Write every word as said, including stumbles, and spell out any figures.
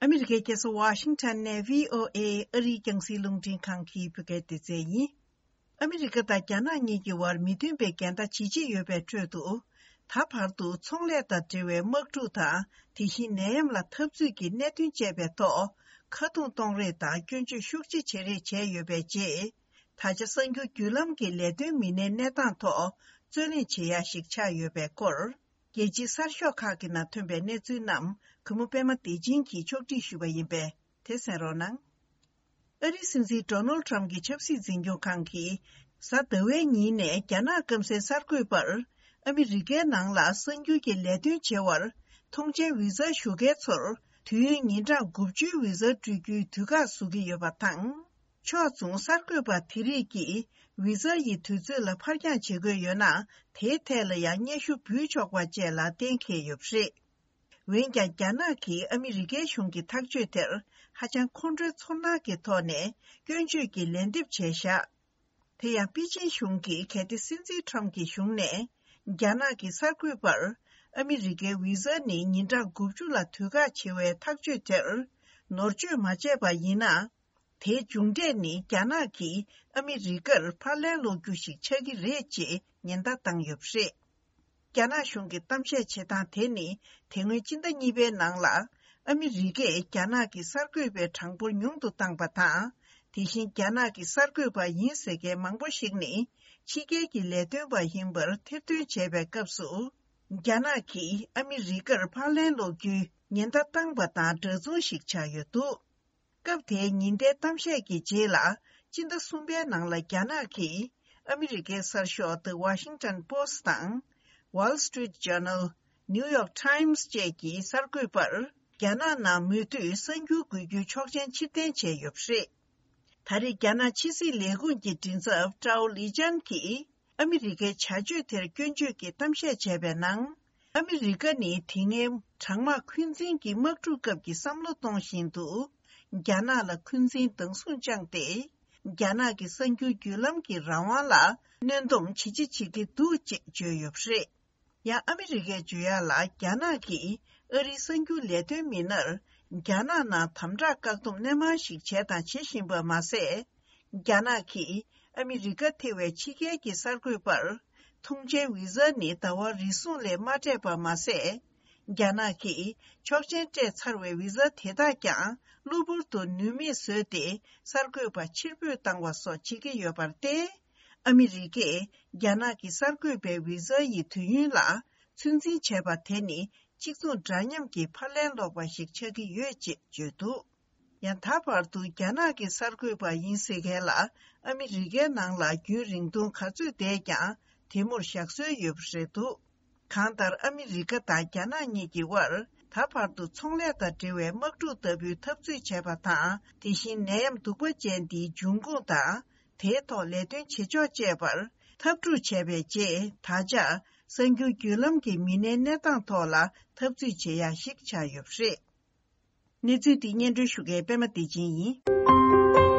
ཨ་མི་རི་ཀའི་རྒྱལ་ས་ཝ་ཤིང་ཊོན་ནས་བྷི་ཨོ་ཨེ་ཨ་རིའི་རྒྱང་སྲིང་རླུང་འཕྲིན་ཁང་གི་བོད་སྐད་སྡེ་ཚན་ཡིན། ཨ་མི་རི་ཀ་དང་རྒྱ་ནག་གཉིས་ཀྱི་དབར་མི་མཐུན་པའི་འགལ་ཟླ་ཇི་ཆེ་ཡོད་པའི་ཁྲོད་དུ། ད་བར་དུ་ཚོང་ལས་དང་འབྲེལ་བའི་དམག་འཁྲུག་དང་། དེ་བཞིན་ནད་ཡམས་ལ་འཐབ་རྩོད་ཀྱི་གནད་དོན་བཅས་པའི་ཐོག་ཁ་རྡུང་གཏོང་རེས་དང་སྐྱོན་བརྗོད་ཤུགས་ཆེ་བྱེད་རེས་བྱས་ཡོད་པའི་རྗེས། ད་ཆ་གསར་འགྱུར་བརྒྱུད་ལམ་གྱི་ལས་དོན་མི་སྣའི་གནས་སྟངས་ཐོག་རྩོད་གླེང་བྱེད་ཡ་ཞིག་ཆགས་ཡོད་པའི་སྐོར། རྒྱལ་སྤྱིའི་གསར་ཤོག་ཁག་གི་ནང་ཐོན་པའི་གནས་ཚུལ་རྣམས་གུས་མོ་པད་མ་བདེ་ཆེན་གྱིས་ཕྱོགས་སྒྲིག་ཞུས་པ་ཡིན་པས་དེ་གསན་རོགས་གནང་། ཨ་རིའི་སྲིད་འཛིན་ཌོ་ནལ་ཊམ་གྱི་ཆབ་སྲིད་འཛིན་སྐྱོང་ཁང་གིས་གཟའ་ཟླ་བའི་ཉིན་ནས་རྒྱ་ནག་སྐམ་སའི་གསར་འགོད་པར་ཨ་མི་རི་ཀའི་ནང་ལ་གསར་འགྱུར་གྱི་ལས་དོན་བྱེད་པར་མཐོང་མཆན་བི་ཟ་ཞུ་མཁན་ཚོར་དུས་ཡུན་ཉིན་གྲངས་དགུ་བཅུའི་བི་ཟ་སྤྲོད་རྒྱུའི་དུས་བཀག་བཟོ་གི་ཡོད་པ་དང་། ཕྱོགས་མཚུངས་གསར་འགོད་པ་དེ་རིགས་ཀྱིས་བི་ཟ་ཡི་དུས་ཚོད་ལ་ཕར་འགྱངས་བྱེད་དགོས་ཡོད་ན། དེའི་ཐད་ལ་ཡང་སྙན་ཞུ་འབུལ་ཆོག་པ་བཅས་ལ་གཏན་འཁེལ་ཡོད་པ་རེད། འོན་ཀྱང་། རྒྱ་ནག་གིས་ཨ་མི་རི་ཀའི་གཞུང་གི་ཐག་གཅོད་དེར་ཧ་ཅང་ཁོང་ཁྲོའི་ཚོར་སྣང་གི་ཐོག་ནས་སྐྱོན་བརྗོད་ཀྱི་ལན་འདེབས་བྱས་བཞག་དེ་ཡང་པེ་ཅིན་གཞུང་གིས་གལ་ཏེ་སྲིད་འཛིན་ཊམ་གྱི་གཞུང་ནས་རྒྱ་ནག་གི་གསར་འགོད་པར་ཨ་མི་རི་ཀའི་བི་ཟ་ནི་ཉིན་གྲངས་དགུ་བཅུ་ལ་དུས་བཀག་བྱེད་པའི་ཐག་གཅོད་དེར་ནོར་བཅོས་མ་བྱས་པ་ཡིན་ན། དེའི་མཇུག་འབྲས་ནི་རྒྱ་ནག་གིས་ཨ་མི་རི་ཀར་ཕར་ལན་སློག་རྒྱུ་ཞིག་ཆགས་ཀྱི་རེད་ཅེས་ཉེན་བརྡ་བཏང་ཡོད་པ་རེད། རྒྱ་ནག་གཞུང་གི་གཏམ་བཤད་བྱེད་སྟངས་དེ་ནི་དེ་སྔོན་སྤྱི་ཟླ་གཉིས་པའི་ནང་ལ་ཨ་མི་རི་ཀས་རྒྱ་ནག་གི་གསར་འགོད་པའི་གྲངས་འབོར་ཉུང་དུ་བཏང་པ་དང་། དེ་བཞིན་རྒྱ་ནག་གི་གསར་འགོད་པ་ཡིན་ཟེར་མཁན་མང་པོ་ཞིག་ནི་ཕྱི་རྒྱལ་གྱི་ལས་དོན་པ་ཡིན་པར་ཐེར་འདོན་བྱས་པའི་སྐབས་སུ། རྒྱ་ནག་གིས་ཨ་མི་རི་ཀར་ཕར་ལན་སློག་རྒྱུའི་ཉེན་བརྡ་བཏང་པ་དང་འདྲ་མཚུངས་ཤིག་ཆགས་ཡོད་འདུག་སྐབས་དེའི་ཉིན་ལྟའི་གཏམ་བཤད་ཀྱི་རྗེས་ལ། སྤྱི་ཟླ་གསུམ་པའི་ནང་ལ་རྒྱ་ནག་གིས་ཨ་མི་རི་ཀའི་གསར་ཤོག་The Washington Post་དང་། Wall Street Journal། New York Times་བཅས་ཀྱི་གསར་འགོད་པར་རྒྱ་ནག་ནང་མུ་མཐུད་གསར་འགྱུར་འགོད་རྒྱུའི་ཆོག་མཆན་ཕྱིར་འཐེན་བྱས་ཡོད་པ་རེད། ད་རེས་རྒྱ་ནག་ཕྱི་སྲིད་ལས་ཁུངས་ཀྱི་མགྲིན་ཚབ་ཀྲའོ་ལི་ཅན་གྱིས། ཨ་མི་རི་ཀའི་བྱ་སྤྱོད་དེར་སྐྱོན་བརྗོད་ཀྱི་གཏམ་བཤད་བྱས་པའི་ནང་། ཨ་མི་རི་ཀ་ནི་དེ་སྔའི་གྲང་དམག་འཁོན་འཛིན་གྱི་དམག་འཁྲུག་སྐབས་ཀྱི་བསམ་བློ་གཏོང་བཞིན་དུ། རྒྱ་ནག་ལ་འཁོན་འཛིན་སྡང་ཟུག་བཅངས་ཏེ། རྒྱ་ནག་གི་གསར་འགྱུར་བརྒྱུད་ལམ་གྱི་རང་དབང་ལ་གནོན་སྡོམ་ཇི་ཆེ་བྱེད་ཀྱི་འདུག་ཅེས་བརྗོད་ཡོད་པ་རེད། ཡང་ཨ་མི་རི་ཀས་བརྗོད་ཡག་ལ། རྒྱ་ནག་གིས་ཨ་རིའི་གསར་འགྱུར་ལས་དོན་མི་སྣར། རྒྱ་ནག་ནང་དམ་དྲག་བཀག་སྡོམ་སྣེ་མང་ཞིག་བྱས་དང་བྱེད་བཞིན་པ་མ་ཟད། རྒྱ་ནག་གིས་ཨ་མི་རི་ཀ་ཐེ་བའི་ཕྱི་རྒྱལ་གྱི་གསར་འགོད་པར། ཐོངས་མཆན་བི་ཟ་ནི་ཟླ་བ་རེ་ཟུང་ལས་མ་སྤྲད་པ་མ་ཟད། རྒྱ་ནག་གིས་ཆོག་མཆན་སྤྲད་ཚར་བའི་བི་ཟ་དེ་དག་ཀྱང་གློ་བུར་དུ་ནུས་མེད་བཟོས་ཏེ། གསར་འགོད་པ་ཕྱིར་འབུད་བཏང་བ་སོགས་བྱེད་ཀྱི་ཡོད་པར་བརྟེན། ཨ་མི་རི་ཀས་རྒྱ་ནག་གི་གསར་འགོད་པའི་བི་ཟ་ཡི་དུས་ཡུན་ལ་ཚོད་འཛིན་བྱས་པ་དེ་ནི་གཅིག་མཚུངས་འདྲ་མཉམ་གྱི་ཕར་ལན་སློག་པ་ཞིག་ཆགས་ཀྱི་ཡོད་ཅེས་བརྗོད་འདུག་ཡང་ད་བར་དུ་རྒྱ་ནག་གི་གསར་འགོད་པ་ཡིན་ཟེར་མཁན་ལ་ཨ་མི་རི་ཀའི་ནང་ལ་རྒྱུན་རིང་ཐུང་ག་ཚོད་བསྡད་ཀྱང་དེ་མུར་བཞག་སྲོལ་ཡོད་པ་རེད་འདུག་གང་ལྟར་ཨ་མི་རི་ཀ་དང་རྒྱ་ནག་གཉིས་ཀྱི་དབར་ད་བར་དུ་ཚོང་ལས་དང་འབྲེལ་བའི་དམག་འཁྲུག་ལྟ་བུའི་འཐབ་རྩོད་བྱས་པ་དང་། དེ་བཞིན་ནད་ཡམས་གདུག་པ་ཅན་འདིའི་འབྱུང་ཁུངས་དང་། དེའི་ཐོག་ལས་དོན་བྱེད་ཕྱོགས་བཅས་པར་འཐབ་འཁྲུག་བྱས་པའི་རྗེས། ད་ཆ་གསར་འགྱུར་བརྒྱུད་ལམ་གྱི་མི་སྣའི་གནས་སྟངས་ཐོག་ལ་འཐབ་རྩོད་བྱེད་ཡ་ཞིག་ཆགས་ཡོད་པ་རེད། གནས་ཚུལ་འདི་སྙན་སྒྲོན་ཞུ་མཁན་པད་མ་བདེ་ཆེན་ཡིན།